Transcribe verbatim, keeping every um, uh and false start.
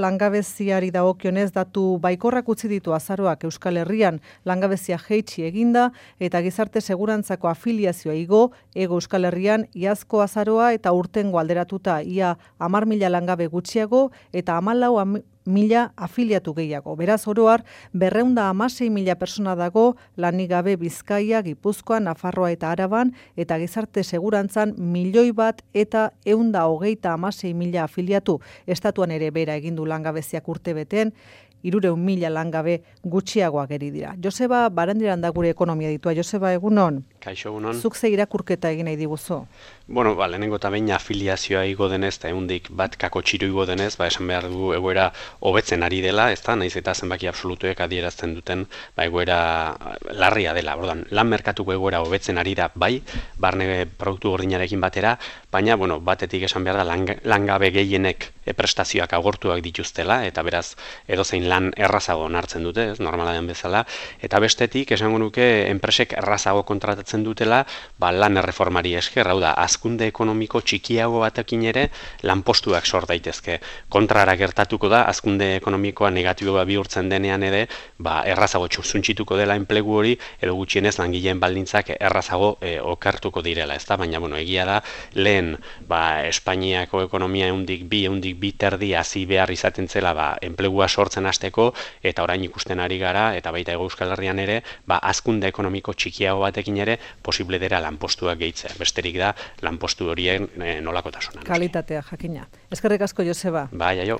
Langabeziari dagokionez datu baikorrak utzi ditu azaroak Euskal Herrian, langabezia jeitsi eginda eta gizarte segurantzako afiliazioa igo, ego Euskal Herrian iazko azaroa eta urtengo alderatuta ia hamar mila langabe gutxiago eta hamalau mila afiliatu gehiago. Beraz, oroar, berrehun eta hamasei mila persona dago lanik gabe Bizkaia, Gipuzkoa, Nafarroa eta Araban, eta gizarte segurantzan milioi bat eta ehun eta hogeita hamasei mila afiliatu. Estatuan ere bera egin du langabeziak urte beten, hirurehun mila langabe gutxiagoak geri dira. Joseba Barandiaran da gure ekonomia ditua. Joseba, egunon? Kaixo, egunon. Zuk ze irakurketa egin nahi diguzu? Bueno, ba, lehenengo eta behin afiliazioa igo denez, eta ehundik bat kako txiru igo denez, ba, esan behar dugu egoera hobetzen ari dela, ez da, nahiz eta zenbaki absolutuek adierazten duten, ba, egoera larria dela. Ordan, lan merkatuko egoera hobetzen ari da, bai, barne produktu gordinarekin batera, baina, bueno, batetik esan behar da, lang, langabe gehienek prestazioak agortuak dituztela, eta beraz, edozein lan errazago onartzen dute, ez, normala den bezala, eta bestetik, esango nuke, enpresek errazago kontratatzen dutela, ba, lan erreformari esker, hau da, hazkunde ekonomiko txikiago batekin ere lanpostuak sor daitezke. Kontrara gertatuko da, hazkunde ekonomikoa negatiboa bihurtzen denean ere, ba, errazago txuntxituko dela enplegu hori, edo gutxienez langileen baldintzak errazago e, okertuko direla, ezta? Baina, bueno, egia da, lehen, ba, Espainiako ekonomia ehundik bi, ehundik bi terdi hasi behar izaten zela, ba, enplegua sortzen hasteko, eta orain ikusten ari gara, eta baita Hego Euskal Herrian ere, ba, hazkunde ekonomiko txikiago batekin ere posible dira lanpostuak gehitzea. Besterik da, lanpostu horien e, nolakotasuna. Kalitatea, jakina. Eskerrik asko, Joseba. Bai, aio.